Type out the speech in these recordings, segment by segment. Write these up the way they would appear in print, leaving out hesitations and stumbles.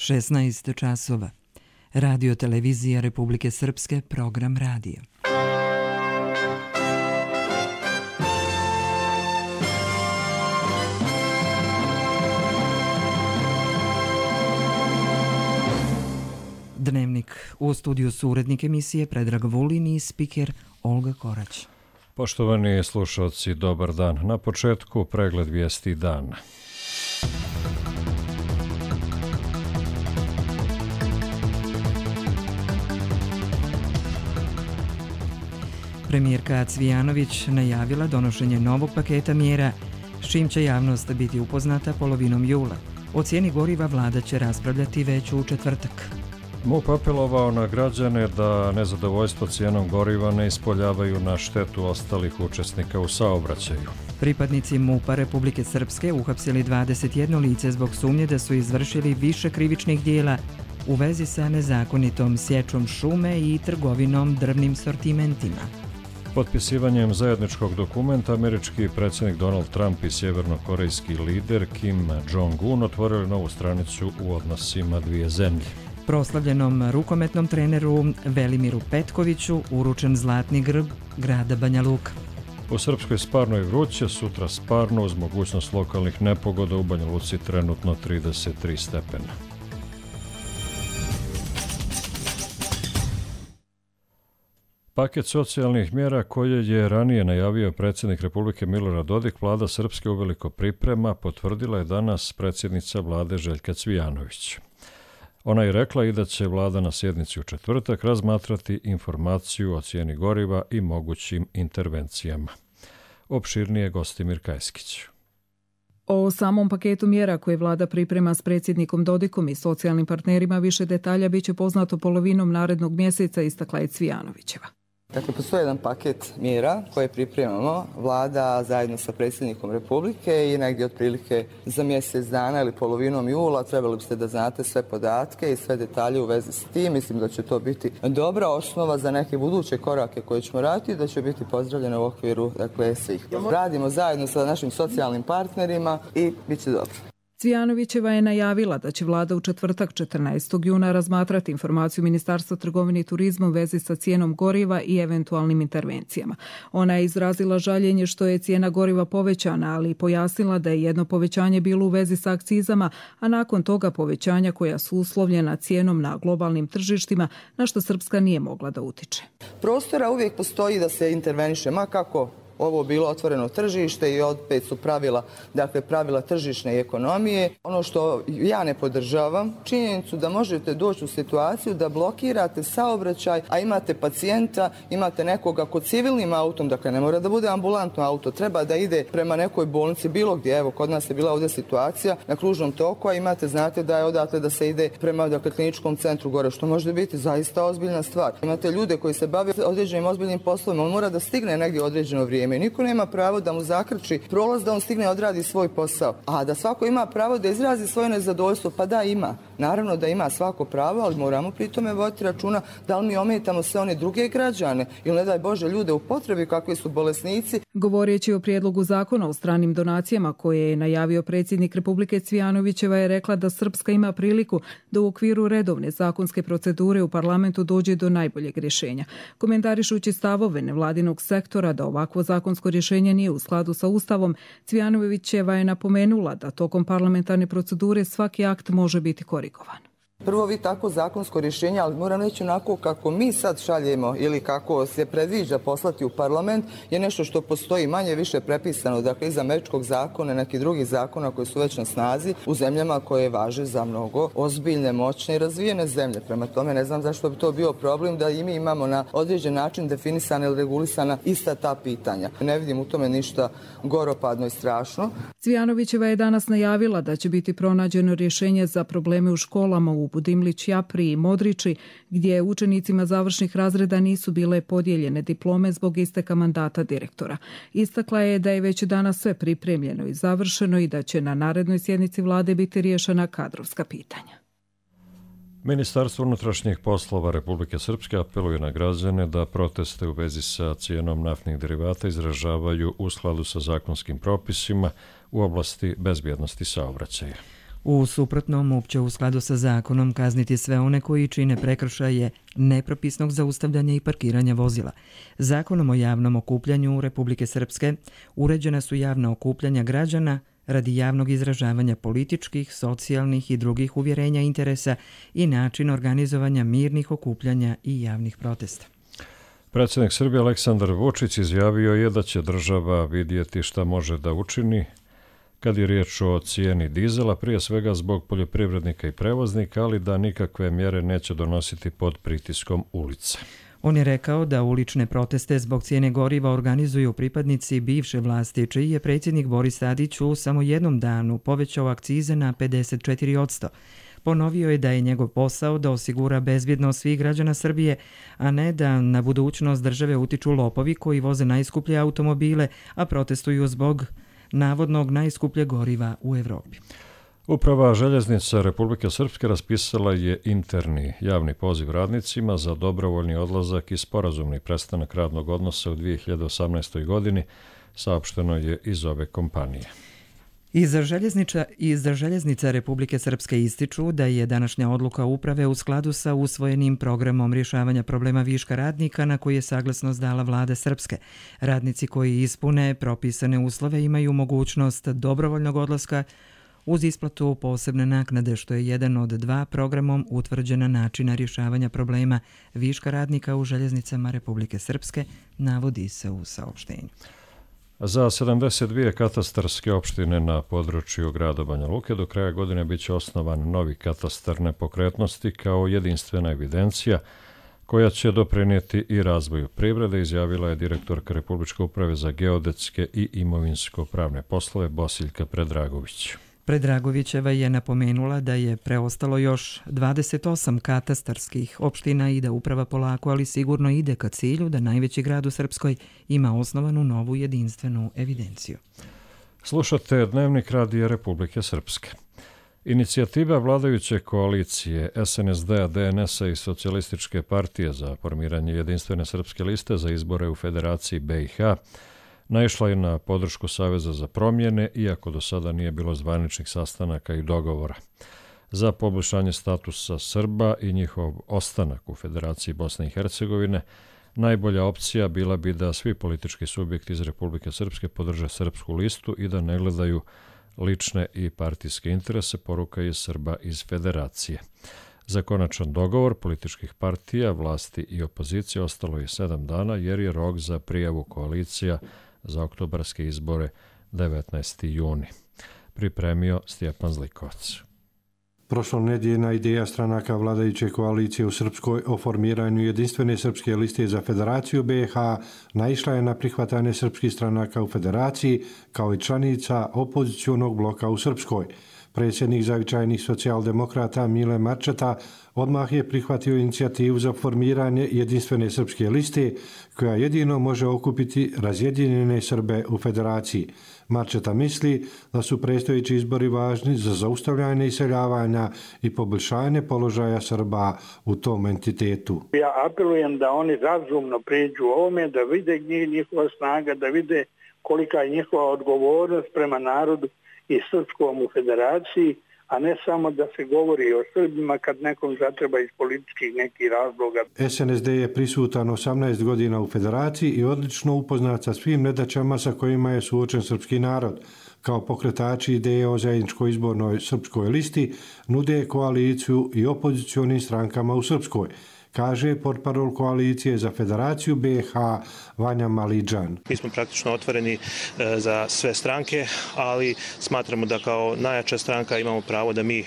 16 časova. Radio Televizija Republike Srpske, program radija. Dnevnik. U studiju su urednik emisije Predrag Vulin i spiker Olga Korać. Poštovani slušalci, dobar dan. Na početku pregled vijesti dana. Premijerka Cvijanović najavila donošenje novog paketa mjera, s čim će javnost biti upoznata polovinom jula. O cijeni goriva vlada će raspravljati već u četvrtak. MUP apelovao na građane da nezadovoljstvo cijenom goriva ne ispoljavaju na štetu ostalih učesnika u saobraćaju. Pripadnici MUP-a Republike Srpske uhapsili 21 lice zbog sumnje da su izvršili više krivičnih dijela u vezi sa nezakonitom sječom šume i trgovinom drvnim sortimentima. Potpisivanjem zajedničkog dokumenta američki predsjednik Donald Trump i sjevernokorejski lider Kim Jong-un otvorili novu stranicu u odnosima dvije zemlje. Proslavljenom rukometnom treneru Velimiru Petkoviću uručen zlatni grb grada Banja Luka. U Srpskoj Sparno je vruće, sutra sparno uz mogućnost lokalnih nepogoda, u Banja Luci trenutno 33 stepena. Paket socijalnih mjera koje je ranije najavio predsjednik Republike Milorad Dodik, vlada Srpske uveliko priprema, potvrdila je danas predsjednica vlade Željka Cvijanović. Ona je rekla i da će vlada na sjednici u četvrtak razmatrati informaciju o cijeni goriva i mogućim intervencijama. Opširnije Gostimir Kajskić. O samom paketu mjera koje vlada priprema s predsjednikom Dodikom i socijalnim partnerima više detalja biće poznato polovinom narednog mjeseca, istakla je Cvijanovićeva. Dakle, postoji jedan paket mjera koje pripremamo. Vlada zajedno sa predsjednikom Republike i negdje otprilike za mjesec dana ili polovinom jula trebali biste da znate sve podatke i sve detalje u vezi s tim. Mislim da će to biti dobra osnova za neke buduće korake koje ćemo raditi i da će biti pozdravljene u okviru svih. Radimo zajedno sa našim socijalnim partnerima i bit će dobro. Cvijanovićeva je najavila da će vlada u četvrtak 14. juna razmatrati informaciju Ministarstva trgovine i turizma u vezi sa cijenom goriva i eventualnim intervencijama. Ona je izrazila žaljenje što je cijena goriva povećana, ali pojasnila da je jedno povećanje bilo u vezi sa akcizama, a nakon toga povećanja koja su uslovljena cijenom na globalnim tržištima, na što Srpska nije mogla da utiče. Prostora uvijek postoji da se interveniše, ma kako ovo bilo otvoreno tržište i opet su pravila tržišne ekonomije. Ono što ja ne podržavam, činjenicu da možete doći u situaciju da blokirate saobraćaj, a imate pacijenta, imate nekoga kod civilnim autom, dakle ne mora da bude ambulantno auto, treba da ide prema nekoj bolnici bilo gdje, evo kod nas je bila ovdje situacija na kružnom toku, a znate da je odatle da se ide prema kliničkom centru gore, što može biti zaista ozbiljna stvar. Imate ljude koji se bave određenim ozbiljnim poslovima, on mora da stigne negdje određeno vrijeme. Niko nema pravo da mu zakrči prolaz da on stigne odradi svoj posao. A da svako ima pravo da izrazi svoje nezadovoljstvo, pa da ima. Naravno da ima svako pravo, ali moramo pri tome voditi računa da li mi ometamo sve one druge građane ili ne daj Bože ljude u potrebi kakvi su bolesnici. Govoreći o prijedlogu zakona o stranim donacijama koje je najavio predsjednik Republike, Cvijanovićeva je rekla da Srpska ima priliku da u okviru redovne zakonske procedure u parlamentu dođe do najboljeg rješenja. Komentarišući stavove nevladinog sektora da ovakvo zakonsko rješenje nije u skladu sa Ustavom, Cvijanovićeva je napomenula da tokom parlamentarne procedure svaki akt može biti korigovan. Prvo vi tako zakonsko rješenje, ali moram reći onako kako mi sad šaljemo ili kako se predviđa poslati u parlament je nešto što postoji manje više prepisano, dakle iz američkog zakona i nekih drugih zakona koji su već na snazi u zemljama koje važe za mnogo ozbiljne, moćne i razvijene zemlje. Prema tome ne znam zašto bi to bio problem da i mi imamo na određen način definisana ili regulisana ista ta pitanja. Ne vidim u tome ništa goropadno i strašno. Cvijanovićeva je danas najavila da će biti pronađeno rješenje za probleme u školama u Budimlić, Japri i Modriči, gdje učenicima završnih razreda nisu bile podijeljene diplome zbog isteka mandata direktora. Istakla je da je već danas sve pripremljeno i završeno i da će na narednoj sjednici vlade biti riješena kadrovska pitanja. Ministarstvo unutrašnjih poslova Republike Srpske apeluje na građane da proteste u vezi sa cijenom naftnih derivata izražavaju u skladu sa zakonskim propisima u oblasti bezbjednosti saobraćaja. U suprotnom, MUP će u skladu sa zakonom kazniti sve one koji čine prekršaje nepropisnog zaustavljanja i parkiranja vozila. Zakonom o javnom okupljanju Republike Srpske uređena su javna okupljanja građana radi javnog izražavanja političkih, socijalnih i drugih uvjerenja interesa i način organizovanja mirnih okupljanja i javnih protesta. Predsjednik Srbije Aleksandar Vučić izjavio je da će država vidjeti šta može da učini kad je riječ o cijeni dizela, prije svega zbog poljoprivrednika i prevoznika, ali da nikakve mjere neće donositi pod pritiskom ulice. On je rekao da ulične proteste zbog cijene goriva organizuju pripadnici bivše vlasti, čiji je predsjednik Boris Tadić u samo jednom danu povećao akcize na 54%. Ponovio je da je njegov posao da osigura bezbjednost svih građana Srbije, a ne da na budućnost države utiču lopovi koji voze najskuplje automobile, a protestuju zbog navodnog najskuplje goriva u Evropi. Uprava željeznica Republike Srpske raspisala je interni javni poziv radnicima za dobrovoljni odlazak i sporazumni prestanak radnog odnosa u 2018. godini, saopšteno je iz ove kompanije. Iz željeznica Republike Srpske ističu da je današnja odluka uprave u skladu sa usvojenim programom rješavanja problema viška radnika na koji je saglasnost dala vlada Srpske. Radnici koji ispune propisane uslove imaju mogućnost dobrovoljnog odlaska uz isplatu posebne naknade, što je jedan od dva programom utvrđena načina rješavanja problema viška radnika u željeznicama Republike Srpske, navodi se u saopštenju. Za 72 katastarske opštine na području grada Banja Luke do kraja godine biće osnovan novi katastar nepokretnosti kao jedinstvena evidencija koja će doprinijeti i razvoju privrede, izjavila je direktorka Republičke uprave za geodetske i imovinsko-pravne poslove Bosiljka Predragović. Predragovićeva je napomenula da je preostalo još 28 katastarskih opština i da uprava polako, ali sigurno ide ka cilju da najveći grad u Srpskoj ima osnovanu novu jedinstvenu evidenciju. Slušate Dnevnik Radija Republike Srpske. Inicijativa vladajuće koalicije SNSD-a, DNS-a i Socijalističke partije za formiranje jedinstvene srpske liste za izbore u Federaciji BiH naišla je na podršku Saveza za promjene, iako do sada nije bilo zvaničnih sastanaka i dogovora. Za poboljšanje statusa Srba i njihov ostanak u Federaciji Bosne i Hercegovine, najbolja opcija bila bi da svi politički subjekti iz Republike Srpske podrže srpsku listu i da ne gledaju lične i partijske interese, poruka je Srba iz Federacije. Za konačan dogovor političkih partija, vlasti i opozicije ostalo je 7 dana, jer je rok za prijavu koalicija za oktobarske izbore 19. juni. Pripremio Stjepan Zlikovac. Prošlonedjeljna ideja stranaka vladajuće koalicije u Srpskoj o formiranju jedinstvene srpske liste za Federaciju BiH naišla je na prihvatanje srpskih stranaka u Federaciji kao i članica opozicionog bloka u Srpskoj. Predsjednik zavičajnih socijaldemokrata Mile Marčeta odmah je prihvatio inicijativu za formiranje jedinstvene srpske liste koja jedino može okupiti razjedinjene Srbe u Federaciji. Marčeta misli da su predstojeći izbori važni za zaustavljanje iseljavanja i poboljšanje položaja Srba u tom entitetu. Ja apelujem da oni razumno priđu ovome, da vide njihova snaga, da vide kolika je njihova odgovornost prema narodu i srpskom u Federaciji, a ne samo da se govori o Srbima kad nekom zatreba iz političkih nekih razloga. SNSD je prisutan 18 godina u Federaciji i odlično upoznat sa svim nedaćama sa kojima je suočen srpski narod. Kao pokretači ideje o zajedničkoj izbornoj srpskoj listi nude koaliciju i opozicionim strankama u Srpskoj, kaže portparol koalicije za Federaciju BiH Vanja Malidžan. Mi smo praktično otvoreni za sve stranke, ali smatramo da kao najjača stranka imamo pravo da mi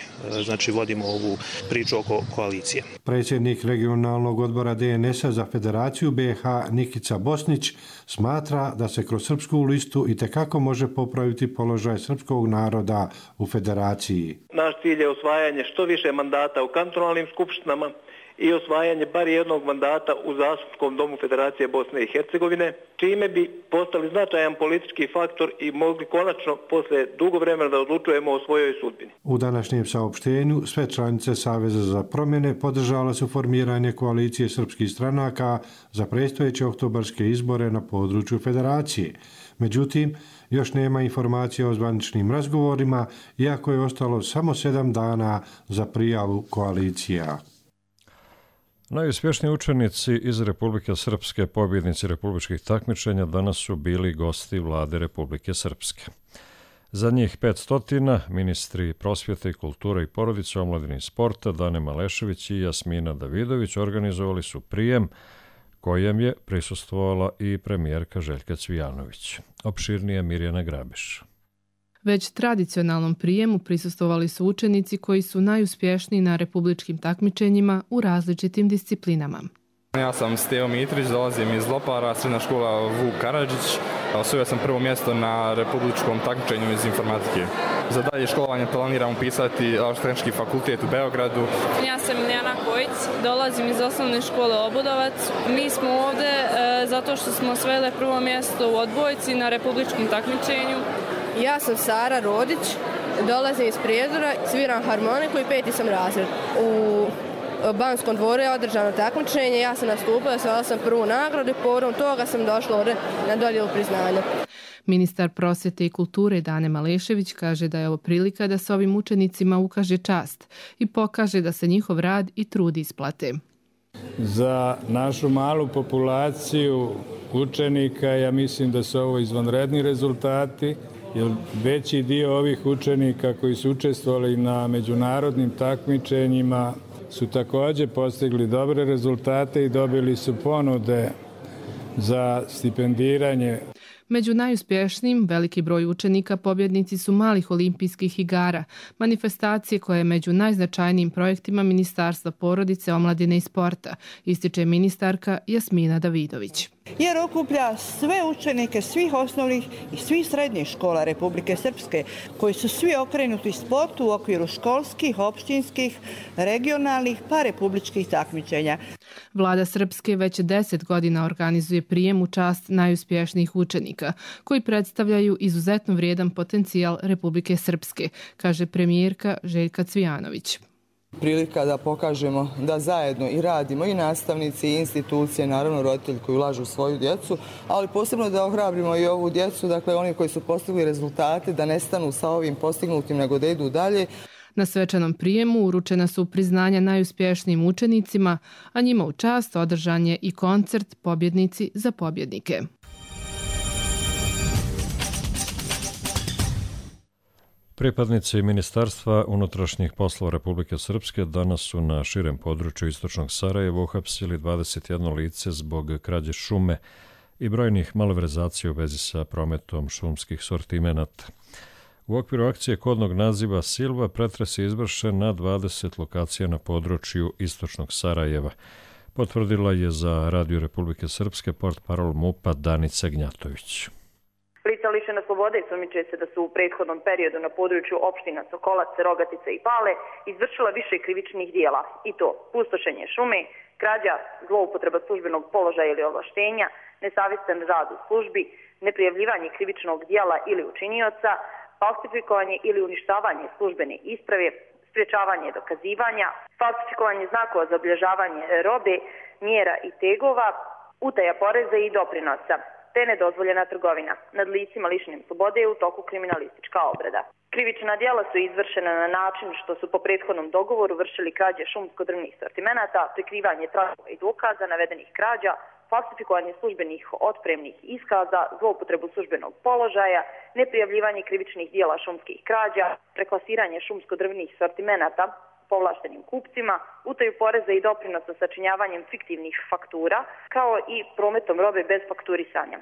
vodimo ovu priču oko koalicije. Predsjednik regionalnog odbora DNS-a za Federaciju BiH Nikica Bosnić smatra da se kroz srpsku listu itekako može popraviti položaj srpskog naroda u Federaciji. Naš cilj je osvajanje što više mandata u kantonalnim skupštinama i osvajanje bar jednog mandata u Zastupničkom domu Federacije Bosne i Hercegovine, čime bi postali značajan politički faktor i mogli konačno posle dugo vremena da odlučujemo o svojoj sudbini. U današnjem saopštenju sve članice Saveza za promjene podržale su formiranje koalicije srpskih stranaka za predstojeće oktobarske izbore na području Federacije. Međutim, još nema informacija o zvaničnim razgovorima, iako je ostalo samo 7 dana za prijavu koalicija. Najuspješniji učenici iz Republike Srpske, pobjednici republičkih takmičenja, danas su bili gosti vlade Republike Srpske. Za njih 500, ministri prosvjete i kulture i porodice, omladine i sporta, Dane Malešević i Jasmina Davidović organizovali su prijem kojem je prisustvovala i premijerka Željka Cvijanović. Opširnije Mirjana Grabiš. Već tradicionalnom prijemu prisustvovali su učenici koji su najuspješniji na republičkim takmičenjima u različitim disciplinama. Ja sam Stevo Mitrić, dolazim iz Lopara, srednja škola Vuk Karadžić. Osvojio sam prvo mjesto na republičkom takmičenju iz informatike. Za dalje školovanje planiram upisati Elektrotehnički fakultet u Beogradu. Ja sam Miljana Kojić, dolazim iz osnovne škole Obudovac. Mi smo ovdje zato što smo osvojile prvo mjesto u odbojci na republičkom takmičenju. Ja sam Sara Rodić, dolazim iz Prijedora, sviram harmoniku i 5. sam razred. U Banskom dvoru je održano takmičenje, ja sam nastupila, osvojila sam prvu nagradu i povodom toga sam došla ovdje na dodjelu priznanja. Ministar prosvjete i kulture Dane Malešević kaže da je ovo prilika da se ovim učenicima ukaže čast i pokaže da se njihov rad i trud isplate. Za našu malu populaciju učenika ja mislim da su ovo izvanredni rezultati, jer veći dio ovih učenika koji su učestvovali na međunarodnim takmičenjima su također postigli dobre rezultate i dobili su ponude za stipendiranje. Među najuspješnijim veliki broj učenika pobjednici su malih olimpijskih igara, manifestacije koje je među najznačajnijim projektima Ministarstva porodice, omladine i sporta, ističe ministarka Jasmina Davidović. Jer okuplja sve učenike svih osnovnih i svih srednjih škola Republike Srpske, koji su svi okrenuti sportu u okviru školskih, opštinskih, regionalnih pa republičkih takmičenja. Vlada Srpske već 10 godina organizuje prijem u čast najuspješnijih učenika, koji predstavljaju izuzetno vrijedan potencijal Republike Srpske, kaže premijerka Željka Cvijanović. Prilika da pokažemo da zajedno i radimo i nastavnici i institucije, naravno roditelji koji ulažu u svoju djecu, ali posebno da ohrabrimo i ovu djecu, dakle oni koji su postigli rezultate, da ne stanu sa ovim postignutim, nego da idu dalje. Na svečanom prijemu uručena su priznanja najuspješnijim učenicima, a njima u čast održan je i koncert Pobjednici za pobjednike. Pripadnici Ministarstva unutrašnjih poslova Republike Srpske danas su na širem području istočnog Sarajeva uhapsili 21 lice zbog krađe šume i brojnih malverzacija u vezi sa prometom šumskih sortimenata. U okviru akcije kodnog naziva Silva pretres je izvršen na 20 lokacija na području istočnog Sarajeva. Potvrdila je za Radio Republike Srpske portparol MUP-a Danica Gnjatović. Lica lišena slobode sumnjiče se da su u prethodnom periodu na području opština Sokolac, Rogatice i Pale izvršila više krivičnih dijela, i to pustošenje šume, krađa, zloupotreba službenog položaja ili ovlaštenja, nesavjestan rad u službi, neprijavljivanje krivičnog dijela ili učinioca, falsifikovanje ili uništavanje službene isprave, sprječavanje dokazivanja, falsifikovanje znakova za obilježavanje robe, mjera i tegova, utaja poreza i doprinosa, te nedozvoljena trgovina nad licima lišenim slobode u toku kriminalistička obrada. Krivična djela su izvršena na način što su po prethodnom dogovoru vršili krađe šumsko-drvnih sortimenata, prikrivanje tragova i dokaza navedenih krađa, falsifikovanje službenih otpremnih iskaza, zloupotrebu službenog položaja, neprijavljivanje krivičnih dijela šumskih krađa, preklasiranje šumsko-drvnih sortimenata povlaštenim kupcima, utaju poreza i doprinosa sačinjavanjem fiktivnih faktura, kao i prometom robe bez fakturisanja.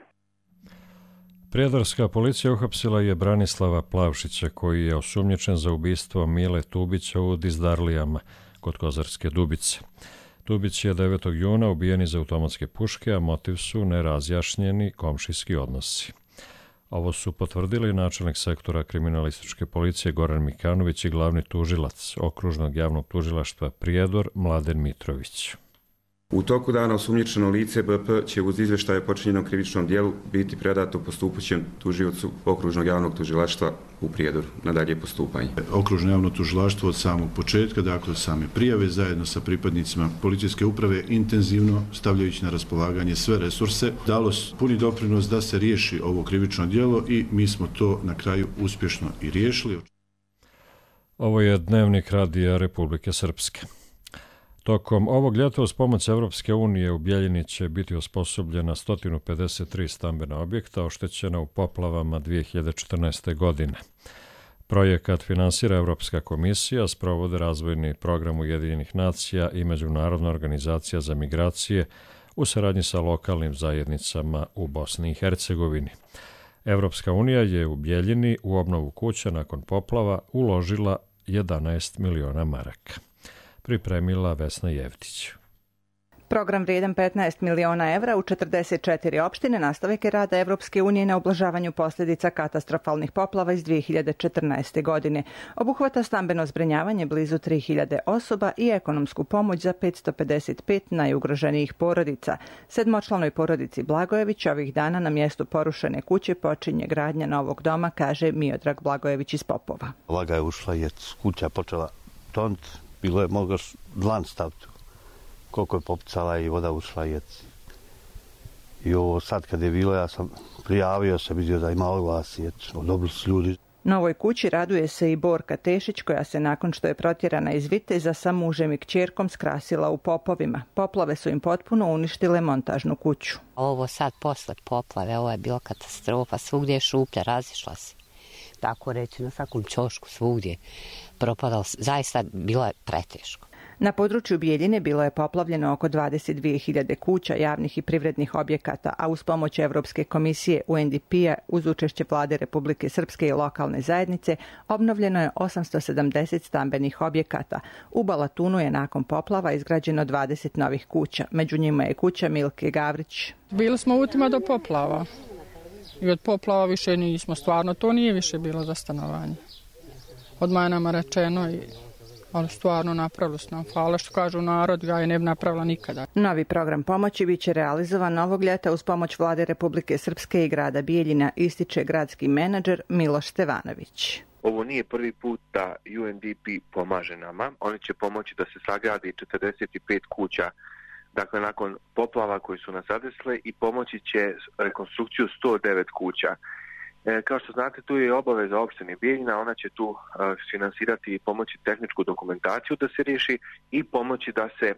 Prijedorska policija uhapsila je Branislava Plavšića, koji je osumnjičen za ubistvo Mile Tubića u Dizdarlijama kod Kozarske Dubice. Tubić je 9. juna ubijen iz automatske puške, a motiv su nerazjašnjeni komšijski odnosi. Ovo su potvrdili načelnik sektora kriminalističke policije Goran Mikanović i glavni tužilac Okružnog javnog tužilaštva Prijedor Mladen Mitrović. U toku dana osumnjičeno lice BP će uz izveštaje o počinjenom krivičnom dijelu biti predato postupajućem tužiocu Okružnog javnog tužilaštva u Prijedoru na dalje postupanje. Okružno javno tužilaštvo od samog početka, dakle same prijave, zajedno sa pripadnicima policijske uprave, intenzivno stavljajući na raspolaganje sve resurse, dalo puni doprinos da se riješi ovo krivično djelo i mi smo to na kraju uspješno i riješili. Ovo je dnevnik Radija Republike Srpske. Tokom ovog ljeta uz pomoć Evropske unije u Bjeljini će biti osposobljena 153 stambena objekta oštećena u poplavama 2014. godine. Projekat finansira Evropska komisija, sprovode razvojni program Ujedinjenih nacija i Međunarodna organizacija za migracije u saradnji sa lokalnim zajednicama u Bosni i Hercegovini. Evropska unija je u Bjeljini u obnovu kuća nakon poplava uložila 11 miliona maraka. Pripremila Vesna Jevtić. Program vrijedan 15 miliona evra u 44 opštine nastavak je rada Evropske unije na ublažavanju posljedica katastrofalnih poplava iz 2014. godine. Obuhvata stambeno zbrinjavanje blizu 3000 osoba i ekonomsku pomoć za 555 najugroženijih porodica. Sedmočlanoj porodici Blagojević ovih dana na mjestu porušene kuće počinje gradnja novog doma, kaže Miodrag Blagojević iz Popova. Vlaga je ušla i kuća počela tont. Bilo je mogaš dlan staviti. Koliko je popucala i voda ušla i ovo sad kad je bilo, ja sam prijavio se, vidio da ima oglas i dobili su ljudi. Novoj kući raduje se i Borka Tešić, koja se nakon što je protjerana iz Viteza sa mužem i kćerkom skrasila u Popovima. Poplave su im potpuno uništile montažnu kuću. Ovo sad posle poplave, ovo je bila katastrofa, svugdje je šuplja, razišla se. Tako reći, na svakom ćošku svugdje propadalo, zaista bilo je preteško. Na području Bijeljine bilo je poplavljeno oko 22.000 kuća, javnih i privrednih objekata, a uz pomoć Evropske komisije UNDP-a uz učešće Vlade Republike Srpske i lokalne zajednice obnovljeno je 870 stambenih objekata. U Balatunu je nakon poplava izgrađeno 20 novih kuća. Među njima je kuća Milke Gavrić. Bili smo utima do poplava. I od poplava više nismo, stvarno to nije više bilo za stanovanje. Odmah je nama rečeno, ali stvarno napravili su nam. Hvala što kažu narod, ja je ne bi napravila nikada. Novi program pomoći bit će realizovan ovog ljeta uz pomoć Vlade Republike Srpske i grada Bijeljina, ističe gradski menadžer Miloš Stevanović. Ovo nije prvi put da UNDP pomaže nama. Oni će pomoći da se sagradi 45 kuća, dakle nakon poplava koji su nas zadesile, i pomoći će rekonstrukciju 109 kuća. Kao što znate, tu je obaveza opštine Bijeljina, ona će tu finansirati i pomoći tehničku dokumentaciju da se riješi i pomoći da se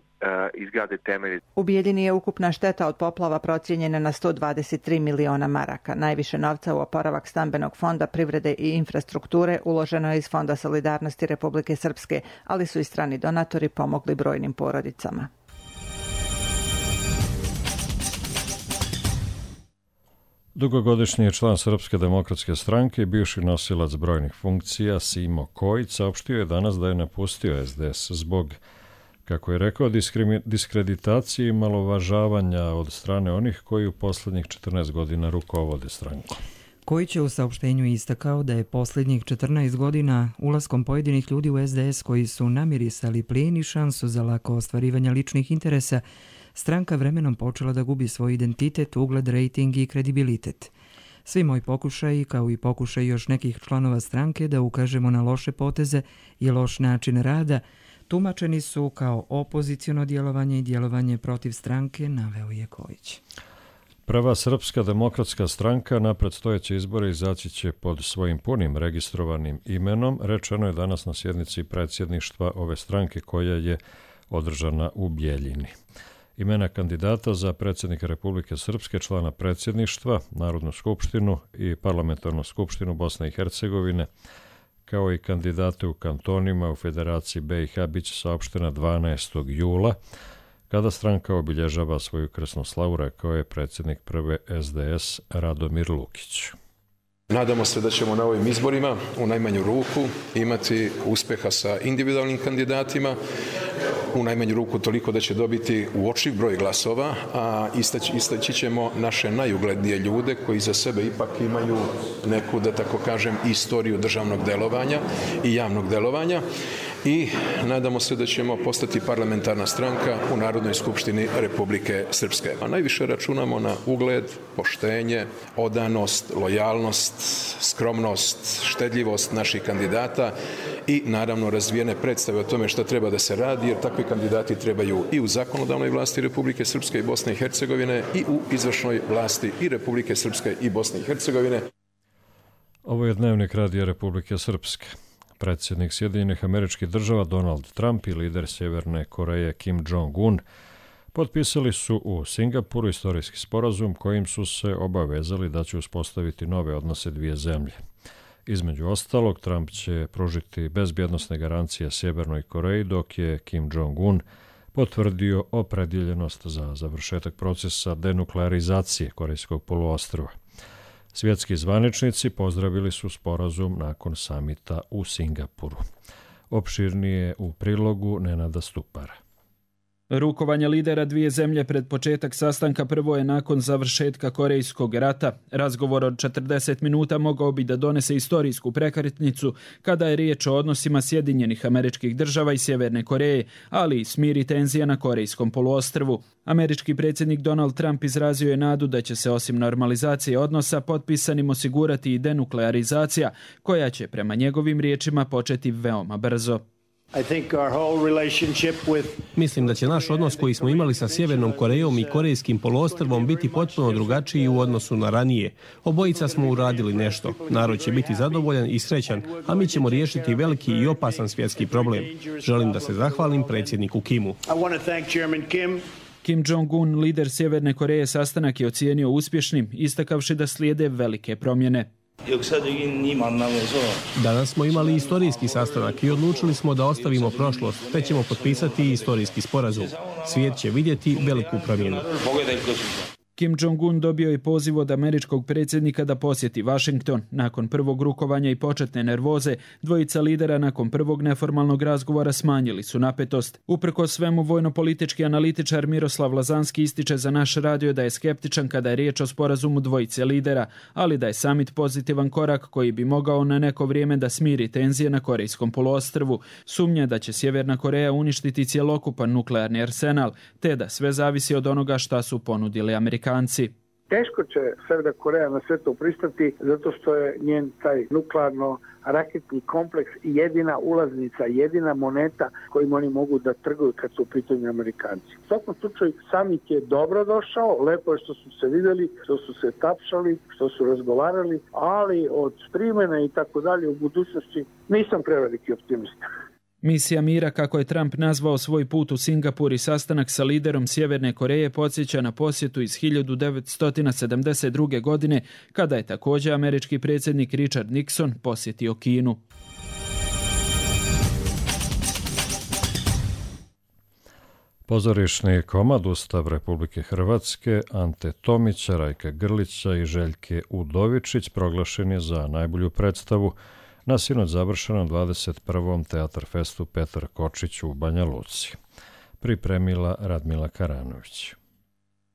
izgrade temelji. U Bijeljini je ukupna šteta od poplava procijenjena na 123 miliona maraka. Najviše novca u oporavak stambenog fonda, privrede i infrastrukture uloženo je iz Fonda solidarnosti Republike Srpske, ali su i strani donatori pomogli brojnim porodicama. Dugogodišnji član Srpske demokratske stranke i bivši nosilac brojnih funkcija Simo Kojić saopštio je danas da je napustio SDS zbog, kako je rekao, diskreditacije i malovažavanja od strane onih koji u posljednjih 14 godina rukovode strankom. Kojić je u saopštenju istakao da je posljednjih 14 godina ulaskom pojedinih ljudi u SDS koji su namirisali plijen i šansu za lako ostvarivanje ličnih interesa, stranka vremenom počela da gubi svoj identitet, ugled, rejting i kredibilitet. Svi moji pokušaji, kao i pokušaj još nekih članova stranke da ukažemo na loše poteze i loš način rada, tumačeni su kao opoziciono djelovanje i djelovanje protiv stranke, naveo je Kojić. Prva Srpska demokratska stranka na predstojeće izbore izaći će pod svojim punim registrovanim imenom, rečeno je danas na sjednici predsjedništva ove stranke koja je održana u Bijeljini. Imena kandidata za predsjednika Republike Srpske, člana predsjedništva, Narodnu skupštinu i Parlamentarnu skupštinu Bosne i Hercegovine, kao i kandidate u kantonima u Federaciji BiH bit će saopštena 12. jula, kada stranka obilježava svoju krsnu slavu, rekao je predsjednik prve SDS Radomir Lukić. Nadamo se da ćemo na ovim izborima u najmanju ruku imati uspjeha sa individualnim kandidatima. u najmanju ruku toliko da će dobiti uočljiv broj glasova, a istaći ćemo naše najuglednije ljude koji za sebe ipak imaju neku, da tako kažem, istoriju državnog delovanja i javnog delovanja i nadamo se da ćemo postati parlamentarna stranka u Narodnoj skupštini Republike Srpske. A najviše računamo na ugled, poštenje, odanost, lojalnost, skromnost, štedljivost naših kandidata i naravno razvijene predstave o tome šta treba da se radi, jer takvi kandidati trebaju i u zakonodavnoj vlasti Republike Srpske i Bosne i Hercegovine i u izvršnoj vlasti i Republike Srpske i Bosne i Hercegovine. Ovo je Dnevnik Radija Republike Srpske. Predsjednik Sjedinjenih Američkih Država Donald Trump i lider Sjeverne Koreje Kim Jong-un potpisali su u Singapuru istorijski sporazum kojim su se obavezali da će uspostaviti nove odnose dvije zemlje. Između ostalog, Trump će pružiti bezbjednosne garancije Sjevernoj Koreji, dok je Kim Jong-un potvrdio opredjeljenost za završetak procesa denuklearizacije Korejskog poluostrva. Svjetski zvaničnici pozdravili su sporazum nakon samita u Singapuru. Opširnije u prilogu Nenada Stupara. Rukovanje lidera dvije zemlje pred početak sastanka prvo je nakon završetka Korejskog rata. Razgovor od 40 minuta mogao bi da donese istorijsku prekretnicu kada je riječ o odnosima Sjedinjenih Američkih Država i Sjeverne Koreje, ali i smiri tenzija na Korejskom poluostrvu. Američki predsjednik Donald Trump izrazio je nadu da će se osim normalizacije odnosa potpisanim osigurati i denuklearizacija, koja će prema njegovim riječima početi veoma brzo. Mislim da će naš odnos koji smo imali sa Sjevernom Korejom i Korejskim poluostrvom biti potpuno drugačiji u odnosu na ranije. Obojica smo uradili nešto. Narod će biti zadovoljan i srećan, a mi ćemo riješiti veliki i opasan svjetski problem. Želim da se zahvalim predsjedniku Kimu. Kim Jong-un, lider Sjeverne Koreje, sastanak je ocijenio uspješnim, istakavši da slijede velike promjene. Danas smo imali istorijski sastanak i odlučili smo da ostavimo prošlost, te ćemo potpisati istorijski sporazum. Svijet će vidjeti veliku promjenu. Kim Jong-un dobio je poziv od američkog predsjednika da posjeti Washington. Nakon prvog rukovanja i početne nervoze, dvojica lidera nakon prvog neformalnog razgovora smanjili su napetost. Uprkos svemu, vojno-politički analitičar Miroslav Lazanski ističe za naš radio da je skeptičan kada je riječ o sporazumu dvojice lidera, ali da je samit pozitivan korak koji bi mogao na neko vrijeme da smiri tenzije na Korejskom poluostrvu. Sumnja da će Sjeverna Koreja uništiti cjelokupan nuklearni arsenal, te da sve zavisi od onoga šta su ponudili Amerikanci. Teško će Sjeverna Koreja na sve to pristati zato što je njen taj nuklearno-raketni kompleks jedina ulaznica, jedina moneta kojim oni mogu da trguju kad su u pitanju Amerikanci. U svakom slučaju samit je dobro došao, lepo je što su se vidjeli, što su se tapšali, što su razgovarali, ali od primjene i tako dalje u budućnosti nisam preveliki optimista. Misija mira, kako je Trump nazvao svoj put u Singapur i sastanak sa liderom Sjeverne Koreje, podsjeća na posjetu iz 1972. godine, kada je također američki predsjednik Richard Nixon posjetio Kinu. Pozorišni komad Ustav Republike Hrvatske Ante Tomića, Rajka Grlića i Željke Udovičić proglašen je za najbolju predstavu na sinoć završenom 21. Teatar festu Petar Kočić u Banja Luci. Pripremila Radmila Karanović.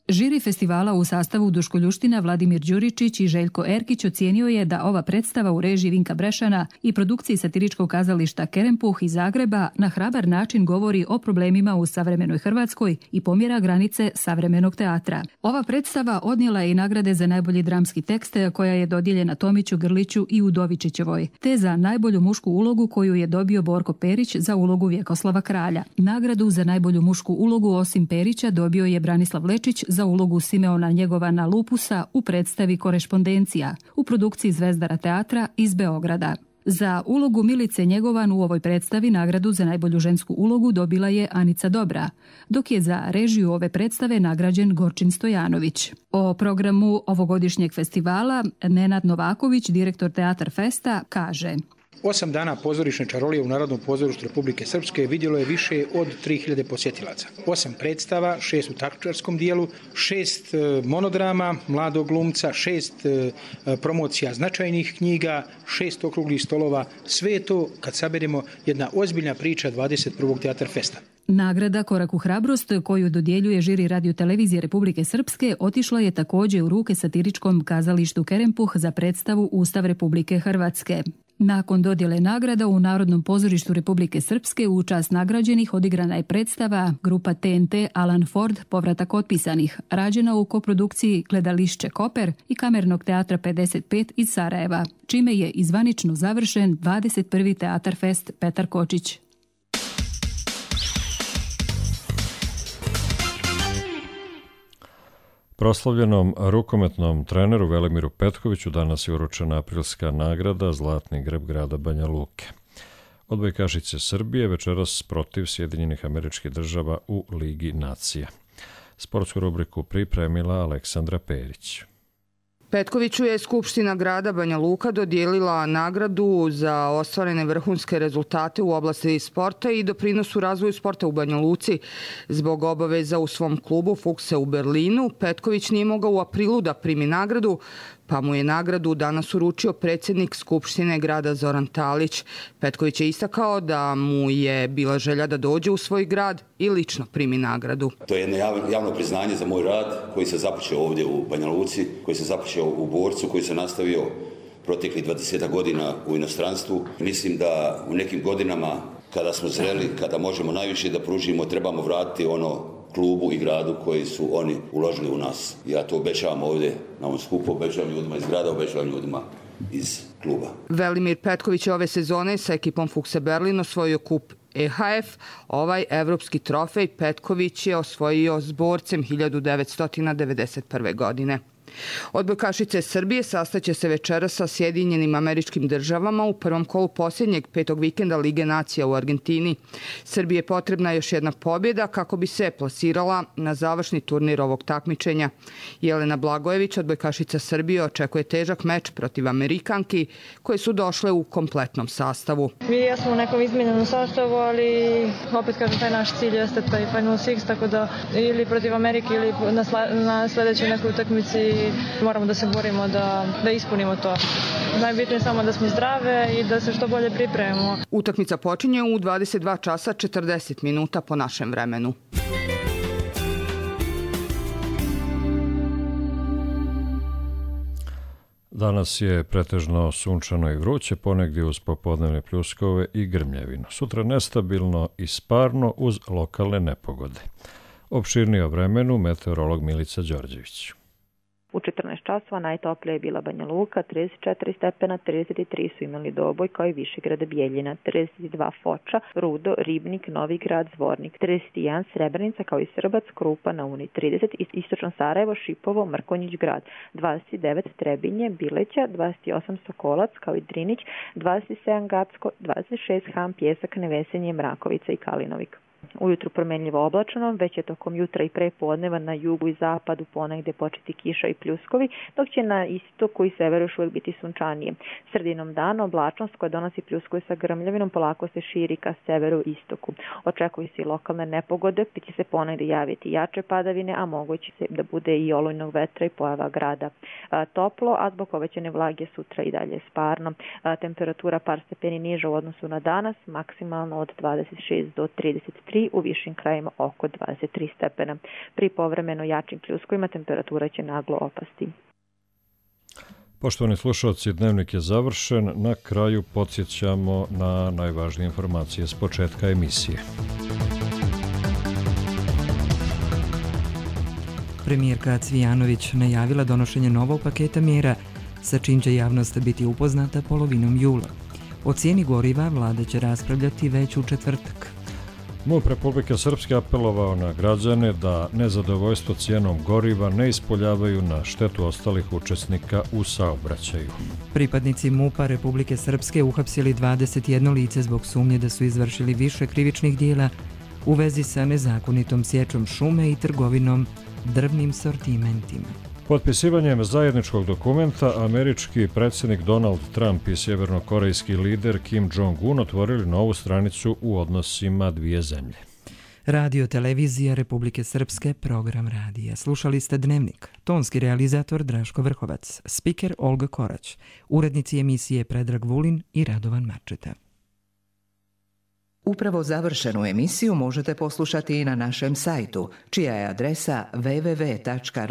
Žiri festivala u sastavu Duško Ljuština, Vladimir Đuričić i Željko Erkić ocijenio je da ova predstava u režiji Vinka Brešana i produkciji satiričkog kazališta Kerempuh iz Zagreba na hrabar način govori o problemima u savremenoj Hrvatskoj i pomjera granice savremenog teatra. Ova predstava odnijela je i nagrade za najbolji dramski tekst koja je dodijeljena Tomiću, Grliću i Udovičićevoj, te za najbolju mušku ulogu koju je dobio Borko Perić za ulogu Vjekoslava Kralja. Nagradu za najbolju mušku ulogu osim Perića dobio je Branislav Lečić za ulogu Simeona Njegovana Lupusa u predstavi Korešpondencija u produkciji Zvezdara teatra iz Beograda. Za ulogu Milice Njegovan u ovoj predstavi nagradu za najbolju žensku ulogu dobila je Anica Dobra, dok je za režiju ove predstave nagrađen Gorčin Stojanović. O programu ovogodišnjeg festivala Nenad Novaković, direktor Teatar Festa, kaže: 8 dana pozorišne čarolije u Narodnom pozorištu Republike Srpske vidjelo je više od 3000 posjetilaca. 8 predstava, 6 u takmičarskom dijelu, 6 monodrama mladog glumca, 6 promocija značajnih knjiga, 6 okruglih stolova. Sve je to, kad saberemo, jedna ozbiljna priča 21. Teatar Festa. Nagrada Korak u hrabrost koju dodjeljuje žiri radiotelevizije Republike Srpske otišla je također u ruke satiričkom kazalištu Kerempuh za predstavu Ustav Republike Hrvatske. Nakon dodjele nagrada u Narodnom pozorištu Republike Srpske u čast nagrađenih odigrana je predstava grupa TNT Alan Ford Povratak otpisanih, rađena u koprodukciji Gledališće Koper i Kamernog teatra 55 iz Sarajeva, čime je izvanično završen 21. Teatar Fest Petar Kočić. Proslavljenom rukometnom treneru Velimiru Petkoviću danas je uručena aprilska nagrada Zlatni grb grada Banja Luke. Odbojkašice Srbije večeras protiv Sjedinjenih Američkih Država u Ligi nacija. Sportsku rubriku pripremila Aleksandra Perić. Petkoviću je Skupština grada Banja Luka dodijelila nagradu za ostvarene vrhunske rezultate u oblasti sporta i doprinosu razvoju sporta u Banja Luci. Zbog obaveza u svom klubu Fukse u Berlinu, Petković nije mogao u aprilu da primi nagradu, pa mu je nagradu danas uručio predsjednik Skupštine grada Zoran Talić. Petković je istakao da mu je bila želja da dođe u svoj grad i lično primi nagradu. To je jedno javno priznanje za moj rad koji se započeo ovdje u Banja Luci, koji se započeo u Borcu, koji se nastavio proteklih 20 godina u inostranstvu. Mislim da u nekim godinama kada smo zreli, kada možemo najviše da pružimo, trebamo vratiti ono klubu i gradu koji su oni uložili u nas. Ja to obećavam ovdje na ovom skupu, obećavam ljudima iz grada, obećavam ljudima iz kluba. Velimir Petković je ove sezone sa ekipom Fukse Berlin osvojio kup EHF. Ovaj evropski trofej Petković je osvojio s Borcem 1991. godine. Odbojkašice Srbije sastaće se večeras sa Sjedinjenim Američkim Državama u prvom kolu posljednjeg 5. vikenda Lige nacija u Argentini. Srbiji je potrebna još jedna pobjeda kako bi se plasirala na završni turnir ovog takmičenja. Jelena Blagojević, odbojkašica Srbije, očekuje težak meč protiv Amerikanki koje su došle u kompletnom sastavu. Mi jesmo u nekom izmijenjenom sastavu, ali opet kažem, taj naš cilj jeste taj Final Six, tako da ili protiv Amerike ili na sljedećoj nekoj utakmici moramo da se borimo da ispunimo to. Najbitnije je samo da smo zdrave i da se što bolje pripremimo. Utakmica počinje u 22 časa 40 minuta po našem vremenu. Danas je pretežno sunčano i vruće, ponegdje uz popodnevne pljuskove i grmljevinu. Sutra nestabilno i sparno uz lokalne nepogode. Opširnije o vremenu meteorolog Milica Đorđević. U 14 časova najtoplija je bila Banja Luka, 34 stepena, 33 su imali Doboj kao i Višegrad Bijeljina, 32 Foča, Rudo, Ribnik, Novi Grad, Zvornik, 31 Srebrenica kao i Srbac, Krupa na Uni, 30 Istočno Sarajevo, Šipovo, Mrkonjić Grad, 29 Trebinje, Bileća, 28 Sokolac kao i Drinić, 27 Gacko, 26 Ham, Pjesak, Nevesenje, Mrakovica i Kalinovik. Ujutru promenljivo oblačno, već je tokom jutra i prepodneva na jugu i zapadu ponegde početi kiša i pljuskovi, dok će na istoku i severu još uvijek biti sunčanije. Sredinom dana oblačnost koja donosi pljuskovi sa grmljavinom polako se širi ka severu i istoku. Očekuju se i lokalne nepogode, pa će se ponegde javiti jače padavine, a moguće se da bude i olujnog vetra i pojava grada. Toplo, a zbog povećane vlage sutra i dalje sparno. Temperatura par stepeni niža u odnosu na danas, maksimalno od 26 do 33, u višim krajima oko 23 stepena. Pri povremeno jačim pljuskovima temperatura će naglo opasti. Poštovani slušalci, dnevnik je završen. Na kraju podsjećamo na najvažnije informacije s početka emisije. Premijerka Cvijanović najavila donošenje novog paketa mjera sa čim će javnost biti upoznata polovinom jula. O cijeni goriva vlada će raspravljati već u četvrtak. MUP Republike Srpske apelovao na građane da nezadovoljstvo cijenom goriva ne ispoljavaju na štetu ostalih učesnika u saobraćaju. Pripadnici MUP-a Republike Srpske uhapsili 21 lice zbog sumnje da su izvršili više krivičnih dijela u vezi sa nezakonitom sječom šume i trgovinom drvnim sortimentima. Potpisivanjem zajedničkog dokumenta američki predsjednik Donald Trump i sjevernokorejski lider Kim Jong-un otvorili novu stranicu u odnosima dvije zemlje. Radio Televizija Republike Srpske, program radija. Slušali ste Dnevnik. Tonski realizator Draško Vrhovac, spiker Olga Korać, urednici emisije Predrag Vulin i Radovan Marčeta. Upravo završenu emisiju možete poslušati i na našem sajtu, čija je adresa www.rtrs.tv.